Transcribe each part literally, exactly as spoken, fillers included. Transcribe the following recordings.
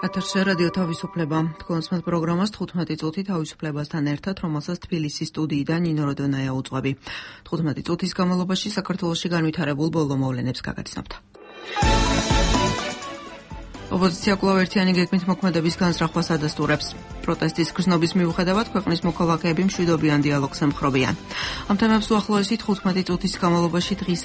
ეთერში რადიო თავისუფლება. თქვენს პროგრამას თხუთმეტი წუთი თავისუფლებასთან ერთად, რომელსაც თბილისის სტუდიიდან ნინო როდონაია უძღვები. თხუთმეტი წუთის განმავლობაში საქართველოში განვითარებულ ბოლო მოვლენებს გაგაცნობთ. ოპოზიცია კვლავ ერთიანი გეგმით მოქმედების განზრახვას ადასტურებს. პროტესტის გრძნობის მიუხედავად ქვეყნის მოქალაქეები მშვიდობიან დიალოგს ემხრობიან. ამ თემებს უახლოესი თხუთმეტი წუთის განმავლობაში დღის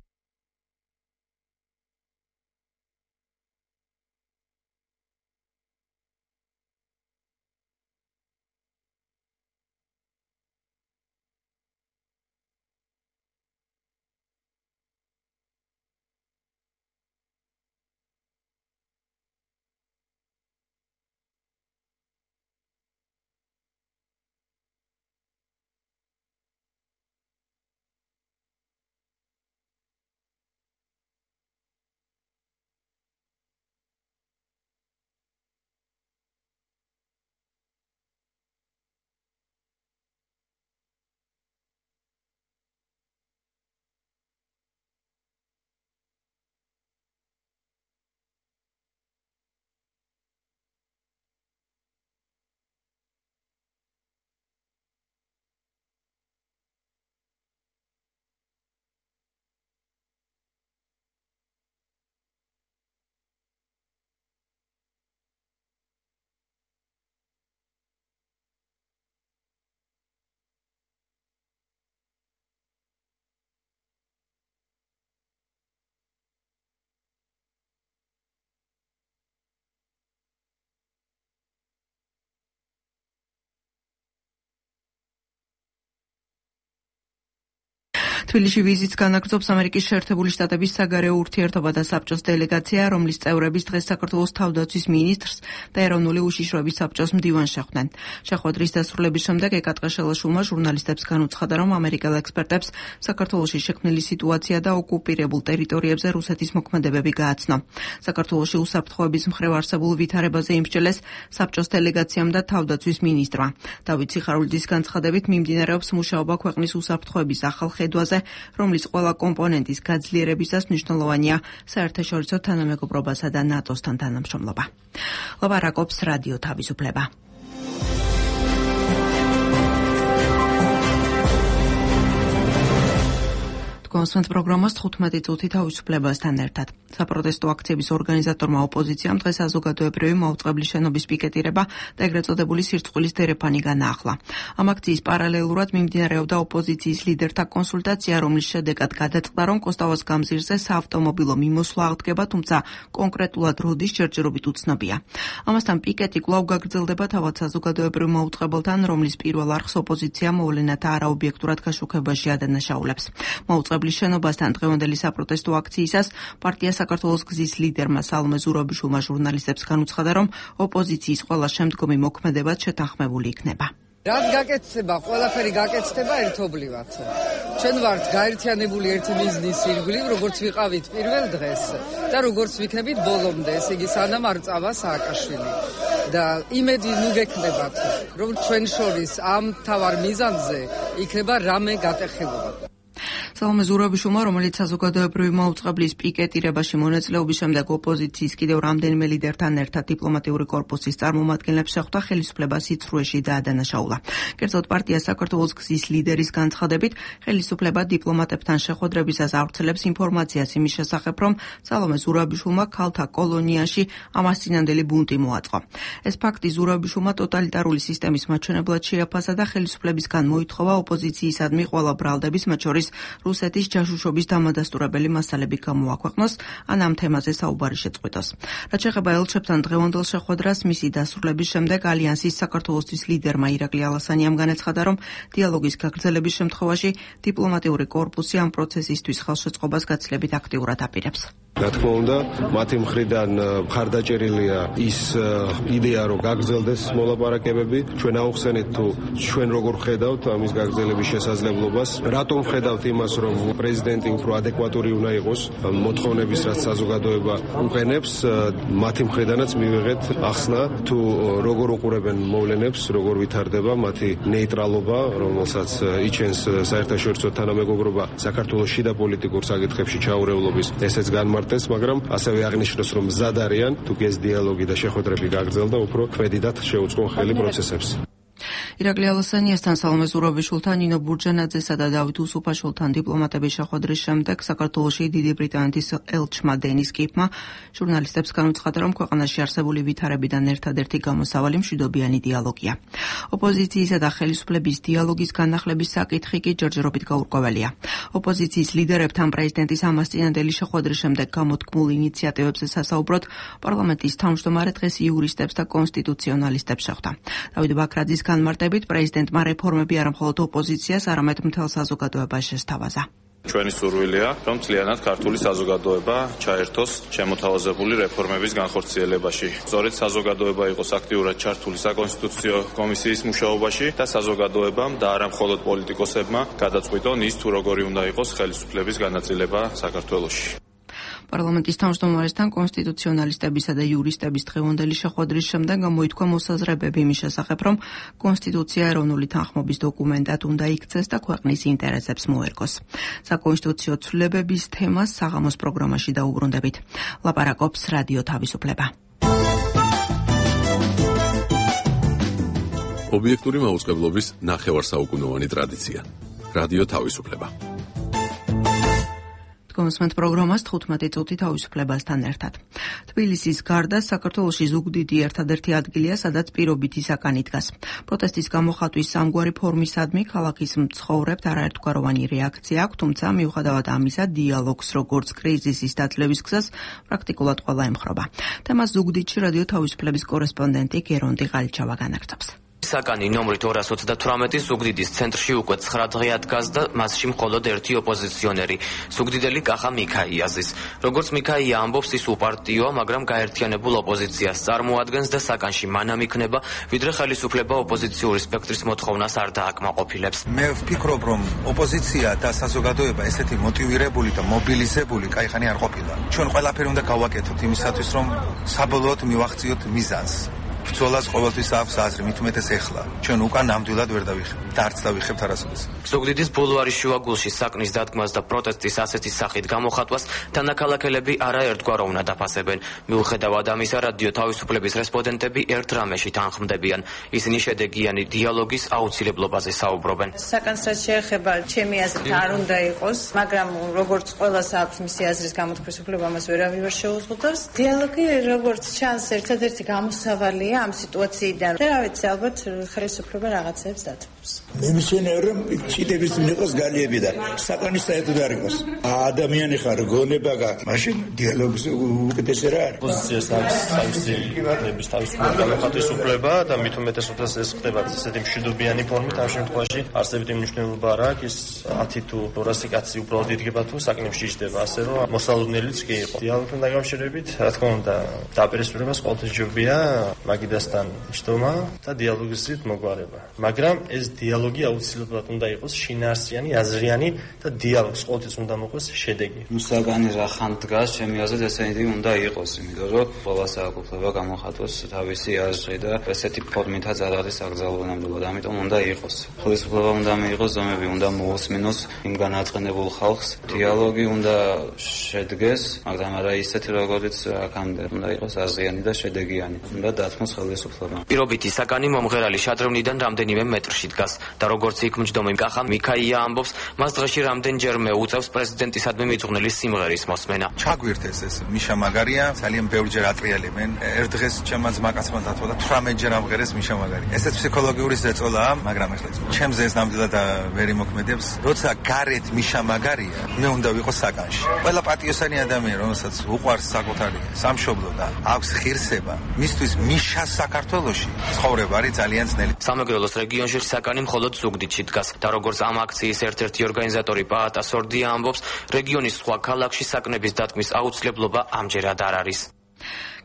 თბილისში ვიზიტს განაგრძობს ამერიკის შეერთებული შტატების საგარეო ურთიერთობათა საბჭოს დელეგაცია, რომლის წევრების დღეს საქართველოს თავდაცვის მინისტრს და ეროვნული უშიშროების საბჭოს მდივანს შეხვდნენ. შეხვედრის დასრულების შემდეგ ეკატყე შელაშვილმა ჟურნალისტებს განუცხადა, რომ ამერიკელ ექსპერტებს საქართველოში შექმნილი სიტუაცია და ოკუპირებულ ტერიტორიებზე რუსეთის მოქმედებები გააცნო. საქართველოში უსაფრთხოების მხრივ არსებულ ვითარებაზე იმსჯელეს საბჭოს დელეგაციამ და თავდაცვის მინისტრმა. დავით სიხარულიძის განცხადებით მიმდინარეობს მუშაობა ქვეყნის უსაფრთხოების ახალ ხედვაზე, რომლის ყველა კომპონენტის გაძლიერებისას მნიშვნელოვანია საერთაშორისო თანამეგობრობასა და ნატოსთან თანამშრომლობა. ლაპარაკობს რადიო თავისუფლება. კონსვენტ პროგრამას თხუთმეტი წუთი თავისუფლებასთან ერთად. საპროტესტო აქციების ორგანიზატორმა ოპოზიციამ დღეს საზოგადოებრივი მაუწყებლის შენობის პიკეტირება და ეგრეთ წოდებული სირცხვილის დერეფანი განაახლა. ამ აქციის პარალელურად მიმდინარეობდა ოპოზიციის ლიდერთა კონსულტაცია, რომლის შედეგად გადაწყდა, რომ კოსტავას გამზირზე საავტომობილო მიმოსვლა აღდგება, თუმცა კონკრეტულად როდის ჯერჯერობით უცნობია. ამასთან პიკეტი კვლავ გაგრძელდება თავად საზოგადოებრივ მაუწყებელთან, რომლის პირველ არხს ოპოზიცია მოვლენათა არაობიექტურად გაშუქებაში ადანაშაულებს. მაუწყებლის შენობასთან დღევანდელი საპროტესტო აქციისას პარტია საქართველოს გზის ლიდერმა სალომე ზურაბიშვილმა ჟურნალისტებს განუცხადა, რომ ოპოზიციის ყველა შემდგომი მოქმედებაც შეთანხმებული იქნება. რაც გაკეთდება, ყველაფერი გაკეთდება ერთობლივად. ჩვენ ვართ გაერთიანებული ერთი მიზნის ირგვლივ, როგორც ვიყავით პირველ დღეს და როგორც ვიქნებით ბოლომდე, ესე იგი სანამ არ წავა სააკაშვილი. და იმედი ნუ გექნებათ, რომ ჩვენ შორის ამ თავარ მიზანზე იქნება რამე გატეხილება. სალომე ზურაბიშვილმა, რომელიც საზოგადოებრივი მაუწყებლის პიკეტირებაში მონაწილეობის შემდეგ ოპოზიციის კიდევ რამდენიმე ლიდერთან ერთად დიპლომატიური კორპუსის წარმომადგენლებს შეხვდა, ხელისუფლება სიცრუეში დაადანაშაულა. კერძოდ პარტია საქართველოს გზის ლიდერის განცხადებით, ხელისუფლება დიპლომატებთან შეხვედრებისას ავრცელებს ინფორმაციას იმის შესახებ, რომ სალომე ზურაბიშვილმა ქალთა კოლონიაში ამასწინამდელი ბუნტი მოაწყო. ეს ფაქტი ზურაბიშვილმა ტოტალიტარული სისტემის მაჩვენებლად შეაფასა და ხელისუფლებისგან მოითხოვა ოპოზიციისადმი ყველა ბრალდების, მათ შორის რუსეთის ჯაშუშობის დამადასტურებელი მასალები გამოაქვეყნოს, ან ამ თემაზე საუბარი შეწყვიტოს. რაც შეეხება ელჩებთან დღევანდელ შეხვედრას, მისი დასრულების შემდეგ ალიანსის საქართველოსთვის ლიდერმა ირაკლი ალასანიამ განაცხადა, რომ დიალოგის გაგრძელების შემთხვევაში დიპლომატიური კორპუსი ამ პროცესისთვის ხელშეწყობას გაცილებით აქტიურად აპირებს. რა თქმა უნდა, მათი მხრიდან მხარდაჭერილია ის იდეა, რომ გაგრძელდეს მოლაპარაკებები. ჩვენ აუხსენეთ თუ ჩვენ როგორ ხედავთ ამის გაგრძელების შესაძლებლობას, რატომ ხედავთ იმას, რომ პრეზიდენტი უფრო ადეკვატური უნდა იყოს მოთხოვნების, რაც საზოგადოება უყენებს, მათი მხრიდანაც მივიღეთ ახსნა თუ როგორ უყურებენ მოვლენებს, როგორ ვითარდება მათი ნეიტრალობა, რომელსაც იჩენს საერთაშორისო თანამეგობრობა საქართველოს შიდა პოლიტიკურ საკითხებში ჩაურევლობის, ესეც განმარტეს, მაგრამ ასევე აღნიშნოს, რომ მზად არიან თუ ეს დიალოგი და შეხვედრები გაგრძელდა, უფრო ქმედიდად შეუწყონ ხელი პროცესებს. ირაკლი ალასანიასთან, სალომე ზურაბიშვილთან, ნინო ბურჯანაძესა და დავით უსუფაშვილთან დიპლომატების შეხვედრის შემდეგ საქართველოში დიდი ბრიტანეთის ელჩმა დენის კიპმა ჟურნალისტებს განუცხადა, რომ ქვეყანაში არსებული ვითარებიდან ერთადერთი გამოსავალი მშვიდობიანი დიალოგია. ოპოზიციისა და ხელისუფლების დიალოგის განახლების საკითხი კი ჯერჯერობით გაურკვეველია. ოპოზიციის ლიდერებთან პრეზიდენტის ამასწინებელი შეხვედრის შემდეგ გამოთქმულ ინიციატივებზე სასაუბროდ პარლამენტის თავმჯდომარე დღეს იურისტებს და კონსტიტუციონალისტებს შეხვდა. დავით ბაქრაძის განმარტებით პრეზიდენტმა რეფორმები არა მხოლოდ ოპოზიციას, არამედ მთელ საზოგადოებას შესთავაზა. ჩვენი სურვილია, რომ მთლიანად ქართული საზოგადოება ჩაერთოს შემოთავაზებული რეფორმების განხორციელებაში. სწორედ საზოგადოება იყოს აქტიურად ჩართული საკონსტიტუციო კომისიის მუშაობაში და საზოგადოებამ და არა მხოლოდ პოლიტიკოსებმა გადაწყვიტონ ის თუ როგორი უნდა იყოს ხელისუფლების განაწილება საქართველოში. პარლამენტის თავმჯდომარესთან კონსტიტუციონალისტებისა და იურისტების დღევანდელი შეხვედრის შემდეგ გამოითქვა მოსაზრებები იმის შესახებ, რომ კონსტიტუცია ეროვნული თანხმობის დოკუმენტად უნდა იქცეს და ქვეყნის ინტერესებს მოერგოს. საკონსტიტუციო ცვლილებების თემას საღამოს პროგრამაში დაუბრუნდებით. ლაპარაკობს რადიო თავისუფლება. ობიექტური მაუწყებლობის ნახევარსაუკუნოვანი ტრადიცია. რადიო თავისუფლება. გონსმენთ პროგრამას თხუთმეტი წუთი თავისუფლებასთან ერთად. თბილისის გარდა საქართველოში ზუგდიდი ერთადერთი ადგილია, სადაც პირობითი საკანი დგას. პროტესტის გამოხატვის სამგვარი ფორმისადმი ქალაქის მცხოვრებთ არაერთგვაროვანი რეაქცია აქვს, თუმცა მიუხედავად ამისა, დიალოგს როგორც კრიზისის დაძლევის გზას პრაქტიკულად ყველა ემხრობა. თემას ზუგდიდში რადიო თავისუფლების კორესპონდენტი გერონტი ღალიჩავა განაგრძობს. საკანი ნომრით ორას ოცდათვრამეტი ზუგდიდის ცენტრში უკვე ცხრა დღე ადგას და მასში მხოლოდ ერთი ოპოზიციონერი, ზუგდიდელი კახა მიქაიაზის. როგორც მიქაია ამბობს, ის უპარტიოა, მაგრამ გაერთიანებულ ოპოზიციას წარმოადგენს და საკანში მანამ იქნება, ვიდრე ხელისუფლება ოპოზიციური სპექტრის მოთხოვნას არ დააკმაყოფილებს. მე ვფიქრობ, რომ ოპოზიცია და საზოგადოება ესეთი მოტივირებული და მობილიზებული კაიხანი არ ყოფილა. ჩვენ ყველაფერი უნდა გავაკეთოთ იმისათვის, რომ საბოლოოდ მივახციოთ მიზანს. ბრძოლას ყოველთვის აქვს აზრი, მით უმეტეს ეხლა. ჩვენ უკან ნამდვილად ვერ დავიხებ და არც დავიხებთ არასოდეს. ზუგდიდის ბულვარის შუაგულში საკნის დადგმას და პროტესტის ასეთი სახით გამოხატვას თანაქალაქელები არაერთგვაროვნად აფასებენ. მიუხედავად ამისა, რადიო თავისუფლების რესპონდენტები ერთ რამეში თანხმდებიან. ისინი შედეგიანი დიალოგის აუცილებლობაზე საუბრობენ. საკანს რაც შეეხება, ჩემი აზრით არ უნდა იყოს, მაგრამ როგორც ყველას აქვს მისი აზრის გამოთქმის უფლება, მას ვერავინ ვერ შეუზღუდავს. დიალოგი როგორც ჩანს, ერთადერთი გამოსავალია ამ სიტუაციიდან და რა ვიცი, ალბათ ხელისუფლება რაღაცებს დათმობს. მე მისვენებ, რომ ჩიტების მიყოს გალიებიდან საკანის საერთოდ არ იყოს. ადამიანი ხარ, გონება გაქვს, მაშინ დიალოგის უკეთესი რა არის. პოზიციას აქვს თავისი ნების თავისუფლება გამოხატვის უფლება და მით უმეტეს უბრალოდ ეს ხდება ესეთი მშვიდობიანი ფორმით. ამ შემთხვევაში არსებითი მნიშვნელობა არ აქვს, ის ათი თუ ორასი კაცი უბრალოდ იდგება თუ საკნებში იჯდება, ასე რომ მოსალოდნელიც კი იყო. დიალოგთან დაკავშირებით, რა თქმა უნდა, დაპირისპირებას ყოველთვის ჯობია მაგიდასთან ჯდომა და დიალოგის გზით მოგვარება. მაგრამ ეს დიალოგი აუცილებლად უნდა იყოს შინაარსიანი, აზრიანი და დიალოგს ყოველთვის უნდა მოყვეს შედეგი. საკანი რა ხან დგას, ჩემი აზრით ესეთი უნდა იყოს, იმიტომ რომ ყველა საუკეთლება გამოხატოს თავისი აზრი და ესეთი ფორმითაც არ არის აკრძალული ნამდვილად, ამიტომ უნდა იყოს. ხელისუფლება უნდა მიიღოს ზომები, უნდა მოусმინოს იმ განაწყენებულ ხალხს, დიალოგი უნდა შედგეს, მაგრამ არა ისეთი როგორიც აქამდე, უნდა იყოს აზრიანი და შედეგიანი. უნდა დათმოს ხელისუფლება. პირობითი საკანი მომღერალი შადრევნიდან რამდენიმე მეტრში დგას და როგორც იქ მჯდომი კახა მიქაია ამბობს, მას დღეში რამდენჯერმე უწევს პრეზიდენტისადმი მიძღვნილი სიმღერის მოსმენა. ჩაგვირთეს ეს მიშა მაგარია, ძალიან ბევრჯერ ატრიალებენ. ერთ დღეს ჩემმა ძმაკაცმა დათვა და თვრამეტჯერ ამღერეს მიშა მაგარი. ესეც ფსიქოლოგიური ზეწოლაა, მაგრამ ახლა ჩემზე ეს ნამდვილად ვერ იმოქმედებს. როცა გარეთ მიშა მაგარია, მე უნდა ვიყო საკანში. ყველა პატიოსანი ადამიანი, რომელსაც უყვარს საკუთარი სამშობლო და აქვს ღირსება, მისთვის მიშა საქართველოში ცხოვრება არის ძალიან ძნელი. სამეგრელოს რეგიონში საკანი მხოლოდ ზუგდიდში დგას და როგორც ამ აქციის ერთ-ერთი ორგანიზატორი პაატა სორდია ამბობს, რეგიონის სხვა ქალაქში საკნების დათმის აუცილებლობა ამჯერად არ არის.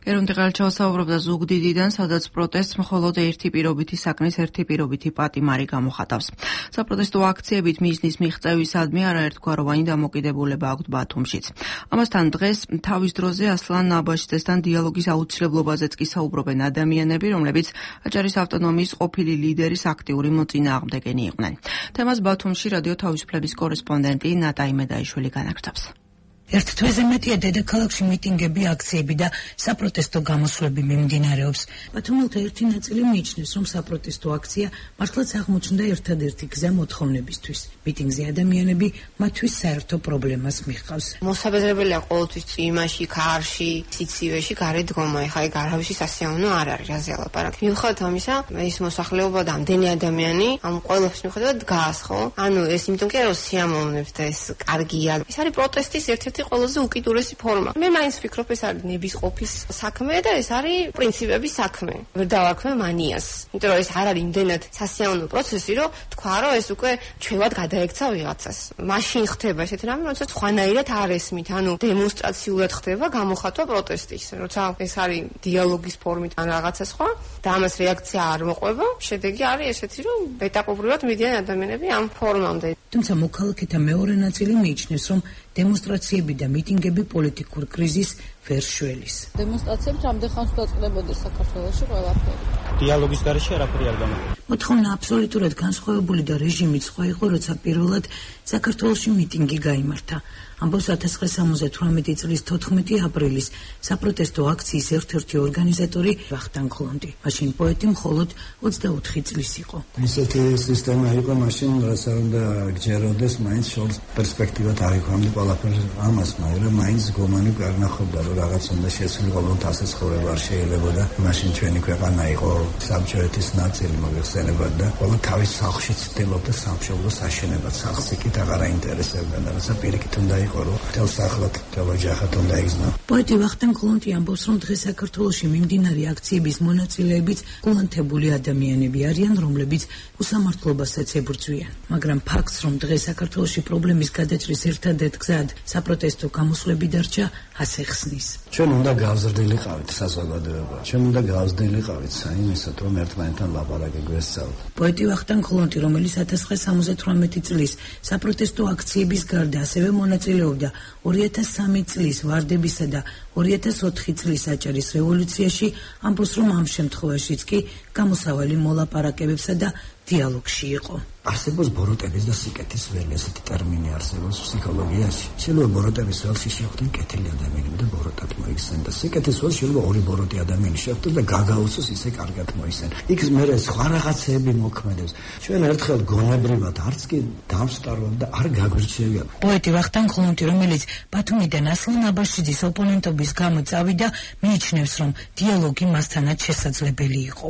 გერუნდი ყალჩავა საუბრობდა ზუგდიდიდან, სადაც პროტესტს მხოლოდ ერთი პირობითი საქმის ერთი პირობითი პატიმარი გამოხატავს. საპროტესტო აქციებით მიზნის მიღწევისადმი არაერთგვაროვანი დამოკიდებულება აქვთ ბათუმშიც. ამასთან დღეს თავის დროზე ასლან აბაშიძესთან დიალოგის აუცილებლობაზეც კი საუბრობენ ადამიანები, რომლებიც აჭარის ავტონომიის ყოფილი ლიდერის აქტიური მოწინააღმდეგენი იყვნენ. თემას ბათუმში რადიო თავისუფლების კორესპონდენტი ნატა იმედაიშვილი განაგრძობს. ერთ თვეზე მეტია დედაქალაქში მიტინგები, აქციები და საპროტესტო გამოსვლები მიმდინარეობს. ბათუმელთა ერთი ნაწილი მიიჩნევს, რომ საპროტესტო აქცია მართლაც აღმოჩნდა ერთადერთი გზა მოთხოვნებისთვის. მიტინგზე ადამიანები მათთვის საერთო პრობლემას მიჰყავს. მოსაბეზრებელია ყოველთვის წვიმაში, ქარში, სიცივეში გარეთ დგომა. ეხლა ეგ არავისი სასიამოვნო არ არის, რაზე ალაპარაკი. მიუხედავად ამისა, ეს მოსახლეობა და ამდენი ადამიანი ამ ყველაფრის მიუხედავად დგას, ხო? ანუ ეს იმიტომ კი არა, რომ სიამოვნებს და ეს კარგია. ეს არის პროტესტის ერთ-ერთი ყველაზე უკიდურესი ფორმა. მე მაინც ვფიქრობ, ეს არის ნებისყოფის საქმე და ეს არის პრინციპების საქმე. ვერ დავარქმე მანიას. იმიტომ რომ ეს არ არის იმდენად სასიამოვნო პროცესი, რომ თქვა, რომ ეს უკვე ჩვევად გადაექცა ვიღაცას. მაშინ ხდება ესეთი რამე, როცა სხვანაირად არ ესმით, ანუ დემონსტრაციულად ხდება გამოხატვა პროტესტის. როცა ეს არის დიალოგის ფორმით ან რაღაცა სხვა და ამას რეაქცია არ მოყვება, შედეგი არის ესეთი, რომ ეტაპობრივად მიდიან ადამიანები ამ ფორმამდე. თუმცა მოქალაქეთა მეორე ნაწილი მიიჩნევს, რომ დემონსტრაციები და მიტინგები პოლიტიკურ კრიზისს ვერ შველის. დემონსტრაციებს რამდენ ხანს დაწყდებოდეს საქართველოში ყველაფერი. დიალოგის გარეშე არაფერი არ გამოდის. მოთხოვნა აბსოლუტურად განსხვავებული და რეჟიმით სხვა იყო, როცა პირველად საქართველოში მიტინგი გაიმართა. ამბობს ათას ცხრაასა სამოცდათვრამეტი წლის თოთხმეტი აპრილის საპროტესტო აქციის ერთ-ერთი ორგანიზატორი ვახტანგ ხლონდი. მაშინ პოეტი მხოლოდ ოცდაოთხი წლის იყო. ისეთი სისტემა იყო მაშინ, რასაც არ უნდა გჯეროდეს, მაინც შორს პერსპექტივად არ იქვამდი ყველაფერს ამას, მაგრამ მაინც გომანი გარნახობდა, რომ რაღაც უნდა შეცვლილიყო, ასეც ხოვრება არ შეიძლებოდა. მაშინ ჩვენი ქვეყანა იყო საბჭოეთის ნაწილი, მოიხსენებათ და ყველა თავის სახლში ცდილობდა სამშობლოს აშენებას. სახლს იქით აღარ აინტერესებდა და რაცა პირიქით უნდა იყო, რომ თელ სახლად, თელ ოჯახად უნდა იგზნო. პოეტი ვახტანგ ხლონდი ამბობს, რომ დღეს საქართველოში მიმდინარე აქციების მონაწილეებიც გულანთებული ადამიანები არიან, რომლებიც უსამართლობასაც ებრძვიან. მაგრამ ფაქტს, რომ დღეს საქართველოში პრობლემის გადაჭრის ერთადერთ გზად საპროტესტო გამოსვლები დარჩა, ასე ხსნის. ჩვენ უნდა გავზრდილიყავით საზოგადოება. ჩვენ უნდა გავზრდილიყავით საიმისოდ, რომ ერთმანეთთან ლაპარაკი გვესწავლოთ. პოეტი ვახტანგ ხლონდი, რომელიც ათას ცხრაასა სამოცდათვრამეტი წლის საპროტესტო აქციების გარდა ასევე მონაწილეობდა ორი ათას სამი წლის ვარდებისა და ორი ათას ოთხი წლის აჭარის რევოლუციაში, ამბობს, რომ ამ შემთხვევაშიც კი გამოსავალი მოლაპარაკებებსა და დიალოგში იყო. არსებობს ბოროტების და სიკეთის ველი, ესეთი ტერმინი არსებობს ფსიქოლოგიაში. შეიძლება ბოროტების ველში შეხვდნენ კეთილი ადამიანები და ბოროტად მოიხსენ და სიკეთის ველში შეიძლება ორი ბოროტი ადამიანი შეხვდეს და გაგაუწოს ისე კარგად მოიხსენ. იქ მერე სხვა რაღაცეები მოქმედებს. ჩვენ ერთხელ გონებრივად არც კი დავსტარვავ და არ გაგვირჩევია. პოეტი ვახტანგ ხლონდი, რომელიც ბათუმიდან ასლან აბაშიძის ოპონენტობის გამო წავიდა, მიიჩნევს, რომ დიალოგი მასთანაც შესაძლებელი იყო.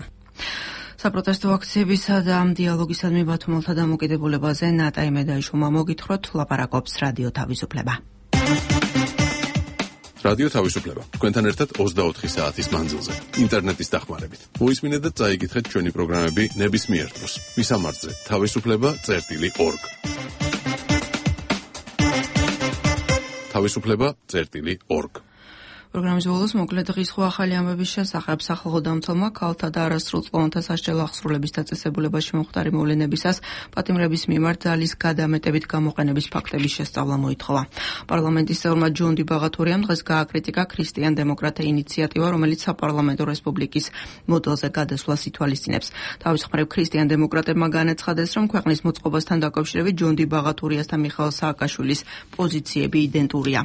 საპროტესტო აქციებისა და დიალოგისადმი ბათუმელთა დამოკიდებულებაზე ნატა იმედაიშვილმა მოგითხროთ, ლაპარაკობს რადიო თავისუფლება. რადიო თავისუფლება. თქვენთან ერთად ოცდაოთხი საათის მანძილზე, ინტერნეტის დახმარებით. მოისმინეთ და წაიკითხეთ ჩვენი პროგრამები ნებისმიერ დროს. მისამართზე თავისუფლება წერტილი ორგ. თავისუფლება წერტილი ორგ. პროგრამის ბოლოს მოკლედ დღის ხო ახალი ამბების შესახებ სახალხო დამცველმა ქალთა და არასრულწლოვანთა სასჯელო აღსრულების დაწესებულებაში მომხდარი მოვლენებისას პატიმრების მიმართ ძალის გადამეტებით გამოყენების ფაქტების შესწავლა მოითხოვა. პარლამენტის წევრმა ჯონდი ბაღათურიამ დღეს გააკრიტიკა ქრისტიან-დემოკრატთა ინიციატივა, რომელიც საპარლამენტო რესპუბლიკის მოდელზე გადასვლას ითვალისწინებს. თავის მხრივ ქრისტიან-დემოკრატებმა განაცხადეს, რომ ქვეყნის მოწყობასთან დაკავშირებით ჯონდი ბაღათურიას და მიხაილ სააკაშვილის პოზიციები იდენტურია.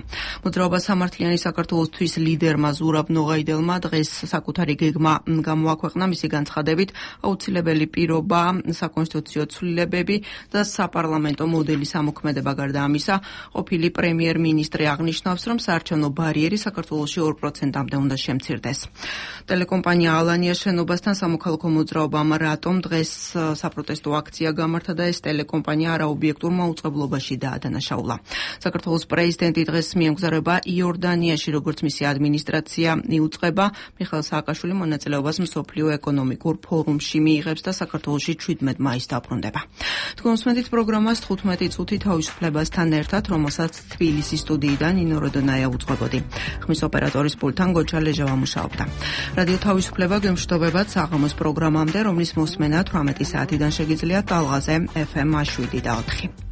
მოძრაობა სამართლიანი საქართველოსთვის ლიდერმა ზურაბ ნოღაიდელმა დღეს საკუთარი გეგმა გამოაქვეყნა, მისი განცხადებით აუცილებელი პირობა საკონსტიტუციო ცვლილებები და საპარლამენტო მოდელის ამოქმედება. გარდა ამისა, ყოფილი პრემიერ-მინისტრი აღნიშნავს, რომ საარჩევნო ბარიერი საქართველოში ორ პროცენტამდე უნდა შემცირდეს. ტელეკომპანია ალანიას შენობასთან სამოქალაქო მოძრაობამ რატომ დღეს საპროტესტო აქცია გამართა და ეს ტელეკომპანია არაობიექტურ მაუწყებლობაში დაადანაშაულა. საქართველოს პრეზიდენტი დღეს მიემგზავრება იორდანიაში, როგორც მისი ადმინისტრაცია იუწყება. მიხეილ სააკაშვილი მონაწილეობას მსოფლიო ეკონომიკურ ფორუმში მიიღებს და საქართველოში შვიდმეტ მაისს დაბრუნდება. თქვენ უსმენთ პროგრამას თხუთმეტი წუთი თავისუფლებასთან ერთად, რომელსაც თბილისის სტუდიიდან ნინო როდონაია უძღვებოდი. ხმის ოპერატორის პულტთან გოჩა ლეჟავა მუშაობდა. რადიო თავისუფლება გემშვიდობებათ საღამოს პროგრამამდე, რომლის მოსმენა თვრამეტი საათიდან შეგიძლიათ ტალღაზე ეფ ემ შვიდი და ოთხი.